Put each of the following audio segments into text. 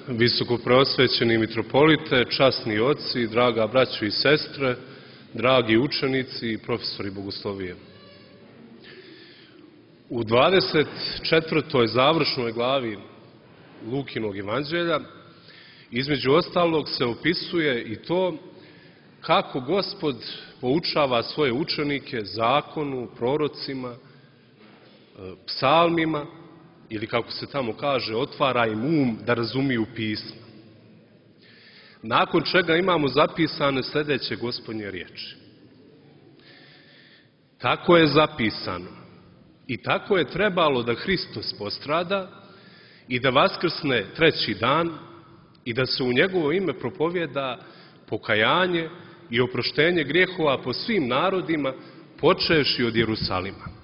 Visokopreosvećeni mitropolite, časni oci, draga braćo i sestre, dragi učenici i profesori bogoslovije. U 24. završnoj glavi Lukinog evanđelja između ostalog se opisuje i to kako Gospod poučava svoje učenike zakonu, prorocima, psalmima, ili kako se tamo kaže, otvara im um da razumiju pisma. Nakon čega imamo zapisane sljedeće Gospodnje riječi. Tako je zapisano i tako je trebalo da Hristos postrada i da vaskrsne treći dan i da se u njegovo ime propovjeda pokajanje i oproštenje grijehova po svim narodima, počevši od Jerusalima.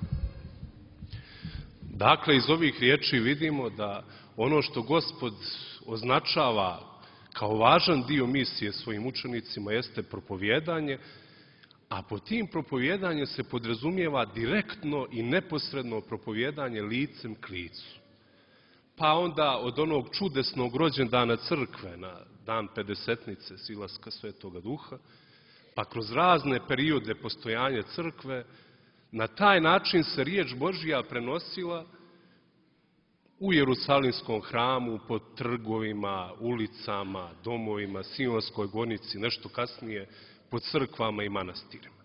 Dakle, iz ovih riječi vidimo da ono što Gospod označava kao važan dio misije svojim učenicima jeste propovjedanje, a pod tim propovjedanjem se podrazumijeva direktno i neposredno propovjedanje licem k licu. Pa onda od onog čudesnog rođendana crkve na dan Pedesetnice silaska Svetoga Duha, pa kroz razne periode postojanja crkve, na taj način se riječ Božja prenosila u Jerusalimskom hramu, po trgovima, ulicama, domovima, Sionskoj gonici, nešto kasnije po crkvama i manastirima.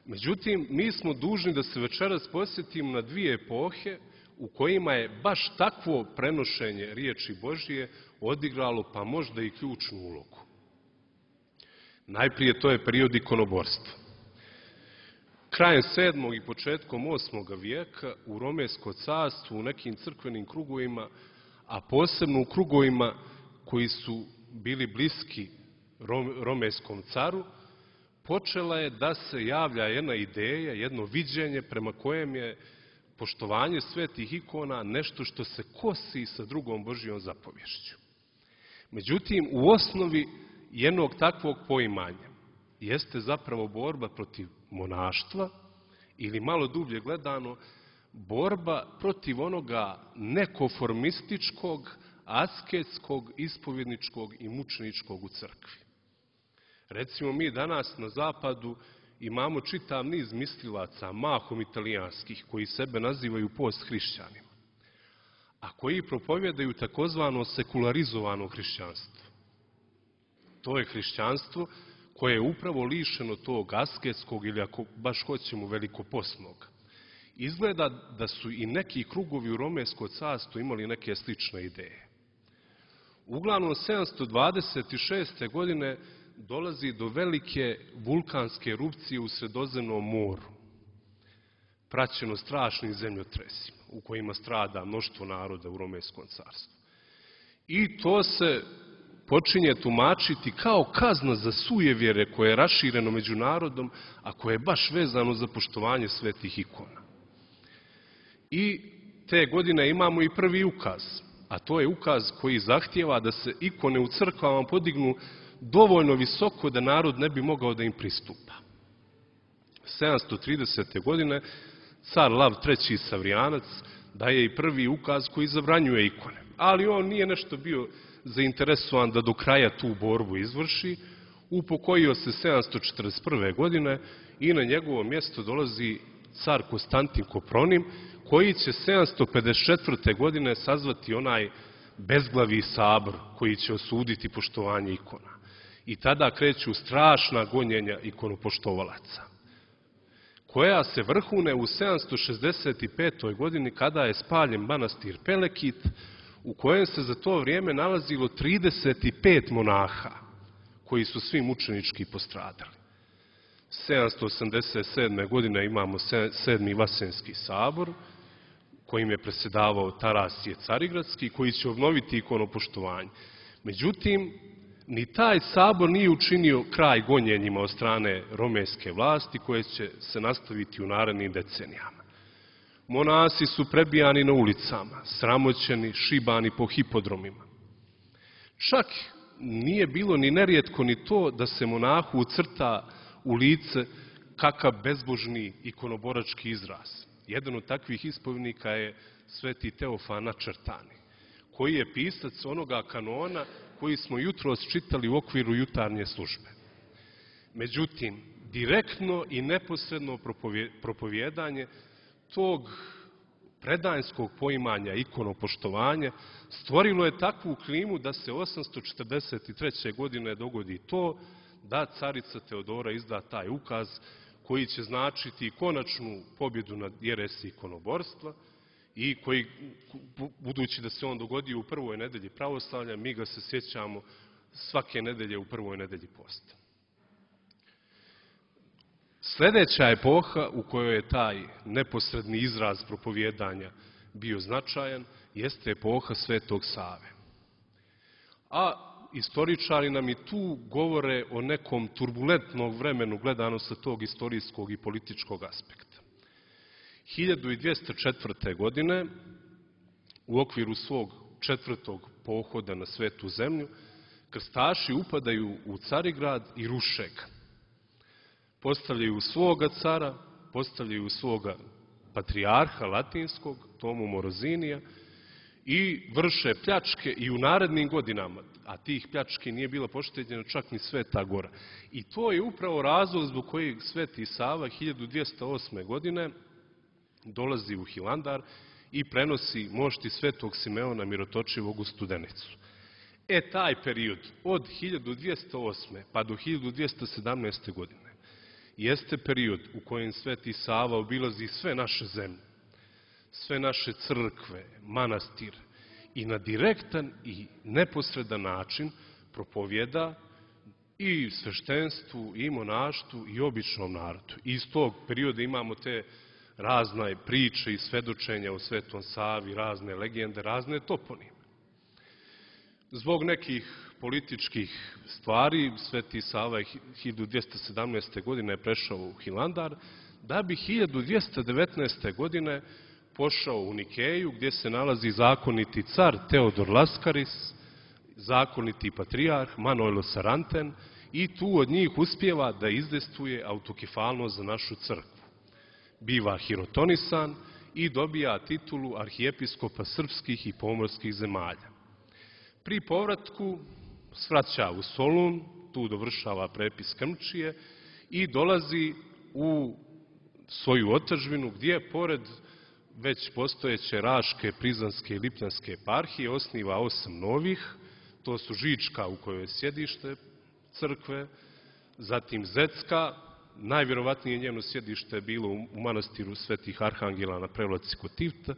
Međutim, mi smo dužni da se večeras posjetimo na dvije epohe u kojima je baš takvo prenošenje riječi Božje odigralo pa možda i ključnu ulogu. Najprije to je period ikonoborstva. Krajem 7. i početkom 8. vijeka u Romejsko carstvo, u nekim crkvenim krugovima, a posebno u krugovima koji su bili bliski Romejskom caru, počela je da se javlja jedna ideja, jedno viđenje prema kojem je poštovanje svetih ikona nešto što se kosi sa drugom Božjom zapovješću. Međutim, u osnovi jednog takvog poimanja jeste zapravo borba protiv monaštva ili malo dublje gledano borba protiv onoga nekonformističkog, asketskog, ispovjedničkog i mučeničkog u crkvi. Recimo, mi danas na zapadu imamo čitav niz mislilaca, mahom italijanskih, koji sebe nazivaju posthrišćanima, a koji propovjedaju takozvano sekularizovano hrišćanstvo. To je hrišćanstvo koje je upravo lišeno tog asketskog ili, ako baš hoćemo, velikoposnog. Izgleda da su i neki krugovi u Romejsko carstvo imali neke slične ideje. Uglavnom, 726. godine dolazi do velike vulkanske erupcije u Sredozemnom moru, praćeno strašnim zemljotresima u kojima strada mnoštvo naroda u Romejskom carstvu. I to se počinje tumačiti kao kazna za sujevjere koje je rašireno među narodom, a koje je baš vezano za poštovanje svetih ikona. I te godine imamo i prvi ukaz, a to je ukaz koji zahtijeva da se ikone u crkvama podignu dovoljno visoko da narod ne bi mogao da im pristupa. 730. godine car Lav III. Savrijanac daje i prvi ukaz koji zabranjuje ikone, ali on nije nešto bio zainteresovan da do kraja tu borbu izvrši. Upokojio se 741. godine i na njegovo mjesto dolazi car Konstantin Kopronim, koji će 754. godine sazvati onaj bezglavi sabor koji će osuditi poštovanje ikona. I tada kreću strašna gonjenja ikonopoštovalaca, koja se vrhune u 765. godini kada je spaljen manastir Pelekit, u kojem se za to vrijeme nalazilo 35 monaha, koji su svi mučenički postradali. 787. godine imamo 7. Vasenski sabor, kojim je predsjedavao Tarasije Carigradski, koji će obnoviti ikonopoštovanje. Međutim, ni taj sabor nije učinio kraj gonjenjima od strane romejske vlasti, koje će se nastaviti u narednim decenijama. Monasi su prebijani na ulicama, sramoćeni, šibani po hipodromima. Čak nije bilo ni nerijetko ni to da se monahu ucrta u lice kakav bezbožni ikonoborački izraz. Jedan od takvih ispovjednika je sveti Teofan Načrtani, koji je pisac onoga kanona koji smo jutros čitali u okviru jutarnje službe. Međutim, direktno i neposredno propovijedanje tog predanjskog poimanja ikonopoštovanja stvorilo je takvu klimu da se 843. godine dogodi to da carica Teodora izda taj ukaz koji će značiti konačnu pobjedu nad jeresi ikonoborstva i koji, budući da se on dogodi u prvoj nedelji pravoslavlja, mi ga se sjećamo svake nedelje u prvoj nedelji posta. Sljedeća epoha u kojoj je taj neposredni izraz propovijedanja bio značajan jeste epoha Svetog Save. A istoričari nam i tu govore o nekom turbulentnom vremenu gledano sa tog istorijskog i političkog aspekta. 1204. godine u okviru svog 4. pohoda na Svetu zemlju krstaši upadaju u Carigrad i ruše ga. Postavljaju svoga cara, postavljaju svoga patrijarha latinskog, Tomu Morozinija, i vrše pljačke i u narednim godinama, a tih pljački nije bila pošteđena čak ni Sveta Gora. I to je upravo razlog zbog kojeg Sveti Sava 1208. godine dolazi u Hilandar i prenosi mošti Svetog Simeona Mirotočivog u Studenicu. Taj period od 1208. pa do 1217. godine jeste period u kojem Sveti Sava obilazi sve naše zemlje, sve naše crkve, manastire i na direktan i neposredan način propovjeda i sveštenstvu, i monaštvu, i običnom narodu. I iz tog perioda imamo te razne priče i svedočenja o Svetom Savi, razne legende, razne toponime. Zbog nekih političkih stvari Sveti Sava je 1217. godine prešao u Hilandar, da bi 1219. godine pošao u Nikeju, gdje se nalazi zakoniti car Teodor Laskaris, zakoniti patrijarh Manojlo Saranten, i tu od njih uspijeva da izdejstvuje autokefalnost za našu crkvu. Biva hirotonisan i dobija titulu arhijepiskopa srpskih i pomorskih zemalja. Pri povratku svraća u Solun, tu dovršava prepis Krmčije i dolazi u svoju otadžbinu gdje, pored već postojeće Raške, Prizanske i Lipljanske eparhije, osniva 8 novih. To su Žička, u kojoj je sjedište crkve, zatim Zecka, najvjerovatnije njeno sjedište je bilo u manastiru Svetih Arhangela na Prevlaci kod Tivta,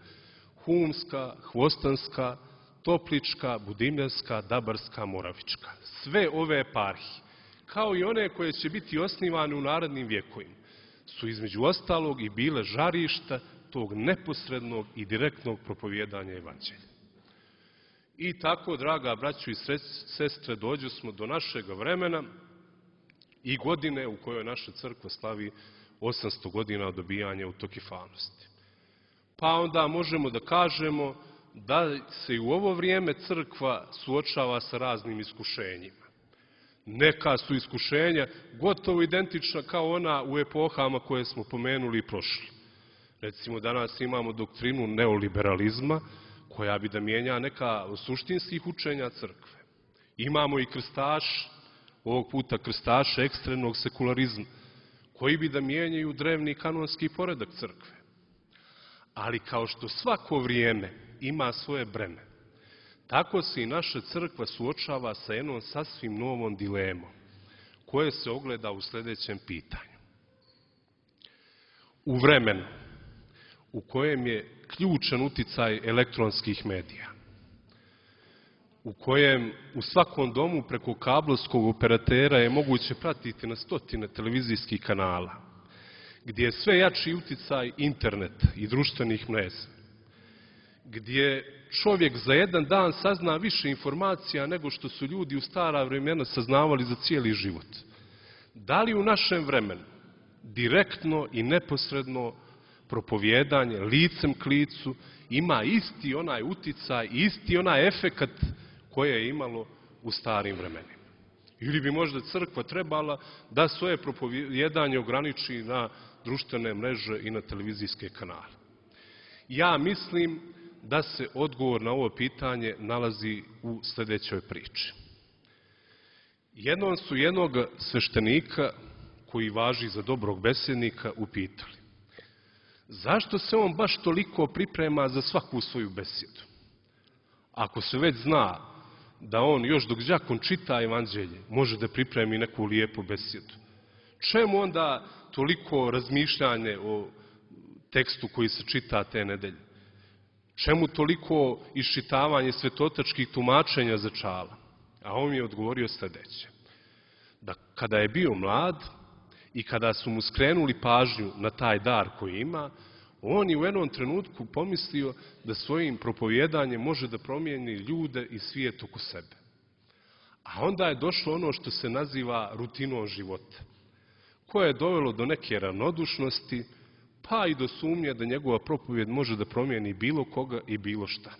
Humska, Hvostanska, Toplička, Budimljanska, Dabarska, Moravička. Sve ove eparhije, kao i one koje će biti osnivane u narednim vjekovima, su između ostalog i bile žarišta tog neposrednog i direktnog propovijedanja evanđelja. I tako, draga braćo i sestre, dođu smo do našeg vremena i godine u kojoj naša crkva slavi 800 godina od dobijanja autokefalnosti. Pa onda možemo da kažemo da se i u ovo vrijeme crkva suočava sa raznim iskušenjima. Neka su iskušenja gotovo identična kao ona u epohama koje smo pomenuli i prošli. Recimo, danas imamo doktrinu neoliberalizma, koja bi da mijenja neka suštinskih učenja crkve. Imamo i krstaš, ovog puta krstaše ekstremnog sekularizma, koji bi da mijenjaju drevni kanonski poredak crkve. Ali kao što svako vrijeme ima svoje breme, tako se i naša crkva suočava sa jednom sasvim novom dilemom, koje se ogleda u sljedećem pitanju. U vremenu u kojem je ključan uticaj elektronskih medija, u kojem u svakom domu preko kablovskog operatera je moguće pratiti na stotine televizijskih kanala, gdje je sve jači uticaj interneta i društvenih mreža, gdje čovjek za jedan dan sazna više informacija nego što su ljudi u stara vremena saznavali za cijeli život. Da li u našem vremenu direktno i neposredno propovijedanje licem k licu ima isti onaj uticaj i isti onaj efekat koje je imalo u starim vremenima? Ili bi možda crkva trebala da svoje propovijedanje ograniči na društvene mreže i na televizijske kanale? Ja mislim da se odgovor na ovo pitanje nalazi u sljedećoj priči. Jednom su jednog sveštenika, koji važi za dobrog besjednika, upitali: zašto se on baš toliko priprema za svaku svoju besjedu? Ako se već zna da on još dok đakon čita evanđelje može da pripremi neku lijepu besjedu, čemu onda toliko razmišljanje o tekstu koji se čita te nedelje? Čemu toliko iščitavanje svetotačkih tumačenja začala? A on mi je odgovorio sljedeće: da kada je bio mlad i kada su mu skrenuli pažnju na taj dar koji ima, on je u jednom trenutku pomislio da svojim propovjedanjem može da promijeni ljude i svijet oko sebe. A onda je došlo ono što se naziva rutinom života, koje je dovelo do neke ravnodušnosti, pa i do sumnje da njegova propovjed može da promijeni bilo koga i bilo šta.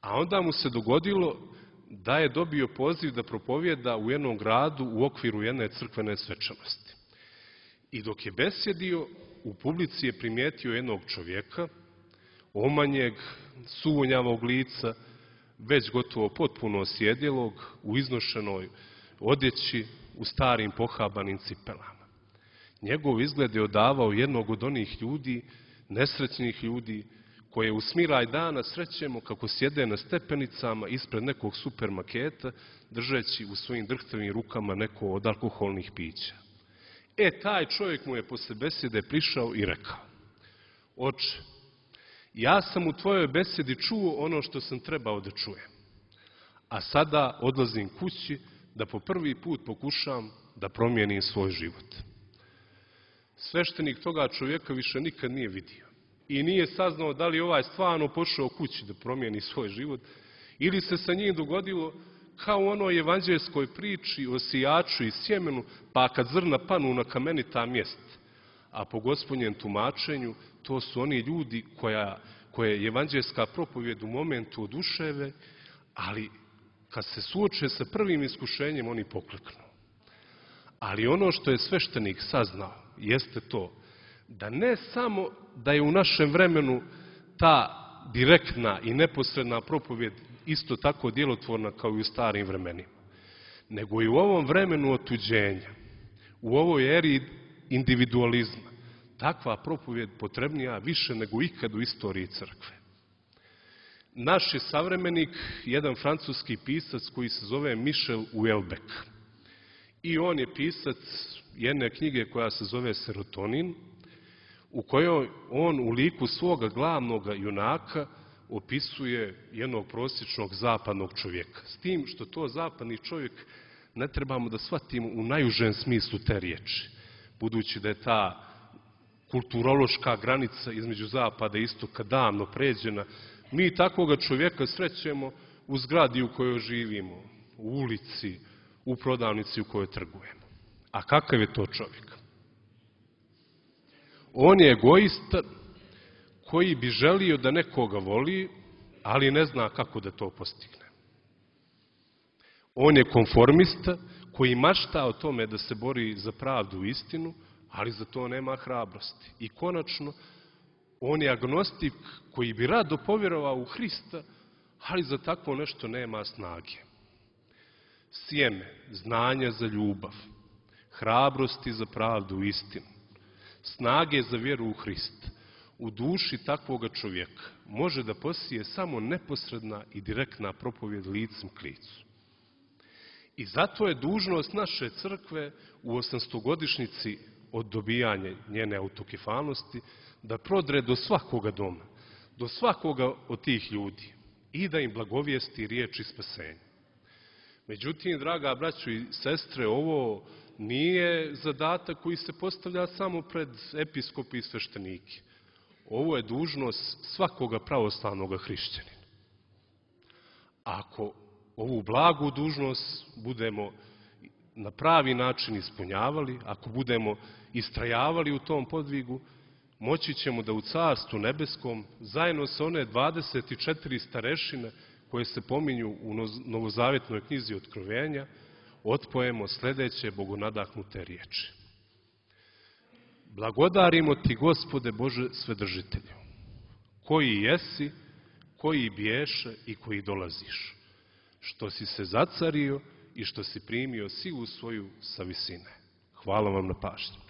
A onda mu se dogodilo da je dobio poziv da propovjeda u jednom gradu u okviru jedne crkvene svečanosti. I dok je besjedio, u publici je primijetio jednog čovjeka, omanjeg, suvonjavog lica, već gotovo potpuno osjedjelog, u iznošenoj odjeći, u starim pohabanim cipelama. Njegov izgled je odavao jednog od onih ljudi, nesrećnih ljudi, koje u smiraj dana srećemo kako sjede na stepenicama ispred nekog supermarketa, držeći u svojim drhtavim rukama neko od alkoholnih pića. Taj čovjek mu je posle besjede prišao i rekao: oče, ja sam u tvojoj besjedi čuo ono što sam trebao da čujem, a sada odlazim kući da po prvi put pokušam da promijenim svoj život. Sveštenik toga čovjeka više nikad nije vidio i nije saznao da li je ovaj stvarno pošao kući da promijeni svoj život ili se sa njim dogodilo kao u onoj evanđeljskoj priči o sijaču i sjemenu, pa kad zrna panu na kamenita mjesta. A po Gospodnjem tumačenju to su oni ljudi koje je evanđeljska propovjed u momentu oduševe, ali kad se suoče sa prvim iskušenjem oni pokleknu. Ali ono što je sveštenik saznao jeste to da ne samo da je u našem vremenu ta direktna i neposredna propovjed isto tako djelotvorna kao i u starim vremenima, nego i u ovom vremenu otuđenja, u ovoj eri individualizma, takva propovjed potrebnija više nego ikad u istoriji crkve. Naš je savremenik jedan francuski pisac koji se zove Michel Houellebecq. I on je pisac jedne knjige koja se zove Serotonin, u kojoj on u liku svoga glavnog junaka opisuje jednog prosječnog zapadnog čovjeka. S tim što to zapadni čovjek ne trebamo da shvatimo u najužem smislu te riječi, budući da je ta kulturološka granica između zapada i istoka davno pređena. Mi takvoga čovjeka srećemo u zgradi u kojoj živimo, u ulici, u prodavnici u kojoj trgujemo. A kakav je to čovjek? On je egoista koji bi želio da nekoga voli, ali ne zna kako da to postigne. On je konformista koji mašta o tome da se bori za pravdu i istinu, ali za to nema hrabrosti. I konačno, on je agnostik koji bi rado povjerovao u Hrista, ali za takvo nešto nema snage. Sjeme, znanja za ljubav, hrabrosti za pravdu i istinu, snage za vjeru u Hrista, u duši takvoga čovjeka može da posije samo neposredna i direktna propovjed licem k licu. I zato je dužnost naše crkve u 800-godišnjici od dobijanja njene autokefalnosti da prodre do svakoga doma, do svakoga od tih ljudi i da im blagovijesti riječi spasenja. Međutim, draga braćo i sestre, ovo nije zadatak koji se postavlja samo pred episkopi i sveštenike. Ovo je dužnost svakoga pravoslavnog hrišćanina. Ako ovu blagu dužnost budemo na pravi način ispunjavali, ako budemo istrajavali u tom podvigu, moći ćemo da u Carstvu nebeskom, zajedno sa one 24 starešine koje se pominju u Novozavjetnoj knjizi Otkrovenja, otpojemo sljedeće bogonadahnute riječi. Blagodarimo ti, Gospode Bože Svedržitelju, koji jesi koji biješe i koji dolaziš, što si se zacario i što si primio silu svoju sa visine. Hvala vam na pažnji.